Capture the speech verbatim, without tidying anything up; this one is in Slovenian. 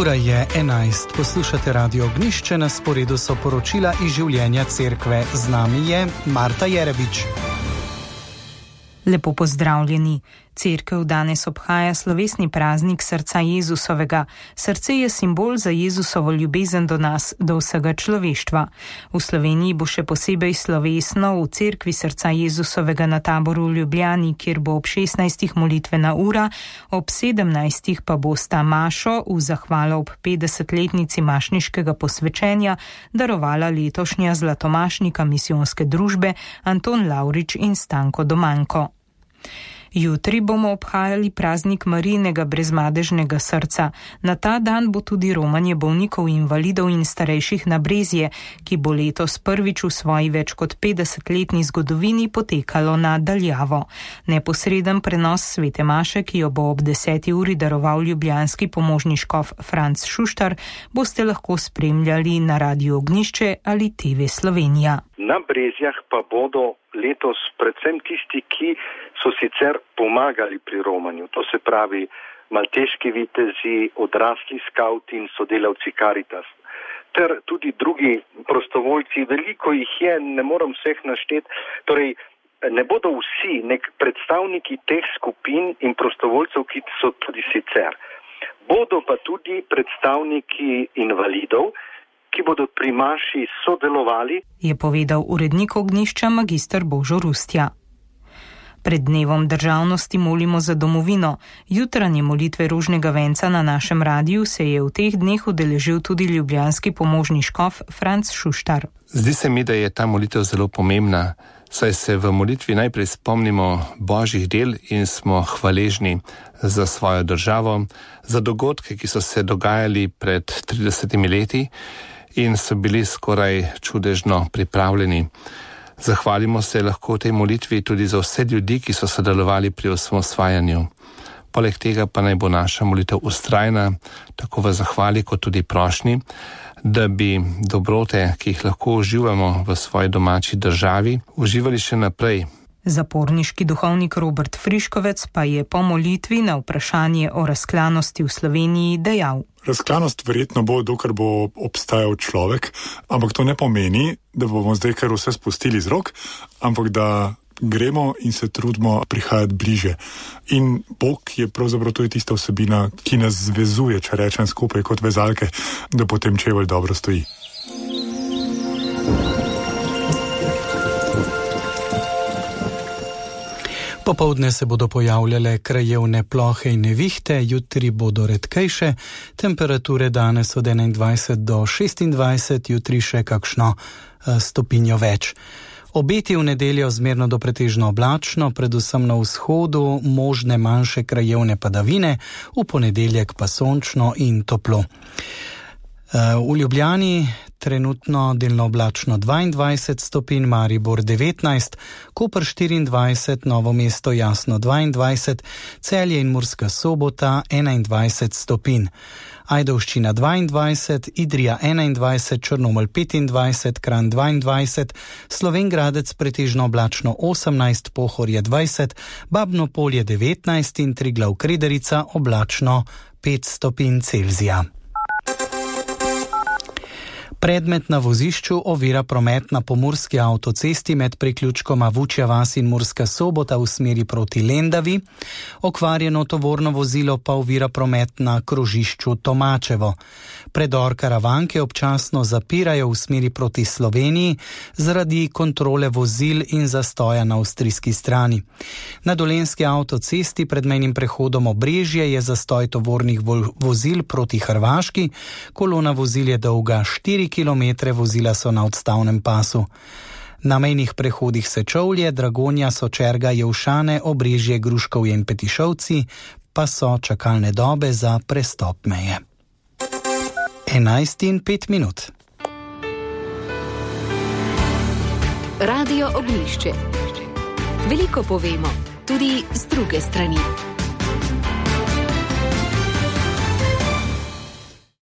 Ura je enajst. Poslušate Radio Ognjišče, na sporedu so poročila iz življenja cerkve. Z nami je Marta Jerebič. Lepo pozdravljeni. Cerkev danes obhaja slovesni praznik srca Jezusovega. Srce je simbol za Jezusovo ljubezen do nas, do vsega človeštva. V Sloveniji bo še posebej slovesno v cerkvi srca Jezusovega na Taboru v Ljubljani, kjer bo ob šestnajstih molitvena ura, ob sedemnajstih pa bosta mašo v zahvalo ob petdesetletnici mašniškega posvečenja darovala letošnja zlatomašnika misijonske družbe Anton Lavrič in Stanko Domanko. Jutri bomo obhajali praznik Marijinega brezmadežnega srca. Na ta dan bo tudi romanje bolnikov, invalidov in starejših na Brezje, ki bo letos prvič v svoji več kot petdesetletni zgodovini potekalo na daljavo. Neposreden prenos svete maše, ki jo bo ob deseti uri daroval ljubljanski pomožni škof Franc Šuštar, boste lahko spremljali na Radiu Ognjišče ali T V Slovenija. Na Brezjah pa bodo letos predvsem tisti, ki so sicer pomagali pri romanju. To se pravi malteški vitezi, odrasli skauti in sodelavci Caritas. Ter tudi drugi prostovoljci, veliko jih je, ne moram vseh našteti. Torej, ne bodo vsi nek predstavniki teh skupin in prostovoljcev, ki so tudi sicer. Bodo pa tudi predstavniki invalidov, ki bodo pri maši sodelovali, je povedal urednik Ognjišča magister Božo Rustja. Pred dnevom državnosti molimo za domovino. Jutranje molitve rožnega venca na našem radiju se je v teh dneh udeležil tudi ljubljanski pomožni škof Franc Šuštar. Zdi se mi, da je ta molitev zelo pomembna, saj se v molitvi najprej spomnimo božjih del in smo hvaležni za svojo državo, za dogodke, ki so se dogajali pred tridesetimi leti in so bili skoraj čudežno pripravljeni. Zahvalimo se lahko v tej molitvi tudi za vse ljudi, ki so sodelovali pri osamosvajanju. Poleg tega pa naj bo naša molitev vztrajna, tako v zahvali kot tudi prošnji, da bi dobrote, ki jih lahko uživamo v svoji domači državi, uživali še naprej. Zaporniški duhovnik Robert Friškovec pa je po molitvi na vprašanje o razklanosti v Sloveniji dejal: Razklanost verjetno bo, dokler bo obstajal človek, ampak to ne pomeni, da bomo zdaj kar vse spustili z rok, ampak da gremo in se trudimo prihajati bliže. In Bog je pravzaprav tudi tista vsebina, ki nas zvezuje, če rečem skupaj kot vezalke, da potem čevelj dobro stoji. Popoldne se bodo pojavljale krajevne plohe in nevihte, jutri bodo redkejše, temperature danes od enaindvajset do šestindvajset, jutri še kakšno stopinjo več. Obeti v nedeljo zmerno do pretežno oblačno, predvsem na vzhodu možne manjše krajevne padavine, v ponedeljek pa sončno in toplo. V Ljubljani trenutno delno oblačno dvaindvajset stopinj, Maribor devetnajst, Koper štiriindvajset, Novo mesto jasno dvaindvajset, Celje in Murska Sobota enaindvajset stopinj. Ajdovščina dvaindvajset, Idrija enaindvajset, Črnomelj petindvajset, Kranj dvaindvajset, Slovenj Gradec pretežno oblačno osemnajst, Pohorje dvajset, Babno Polje devetnajst in Triglav Krederica oblačno pet stopinj Celzija. Predmet na vozišču ovira promet na pomurski avtocesti med priključkoma Vučja vas in Murska Sobota v smeri proti Lendavi. Okvarjeno tovorno vozilo pa ovira promet na krožišču Tomačevo. Predor Karavanke občasno zapirajo v smeri proti Sloveniji zaradi kontrole vozil in zastoja na avstrijski strani. Na dolenjski avtocesti pred mejnim prehodom Obrežje je zastoj tovornih vozil proti Hrvaški. Kolona vozil je dolga štiri kilometre, vozila so na odstavnem pasu. Na mejnih prehodih Sečovlje, Dragonja, Sočerga, Jevšane, Obrežje, Gruškovje in Petišovci pa so čakalne dobe za prestop meje. enajst in pet minut. Radio Ognjišče. Veliko povemo, tudi z druge strani.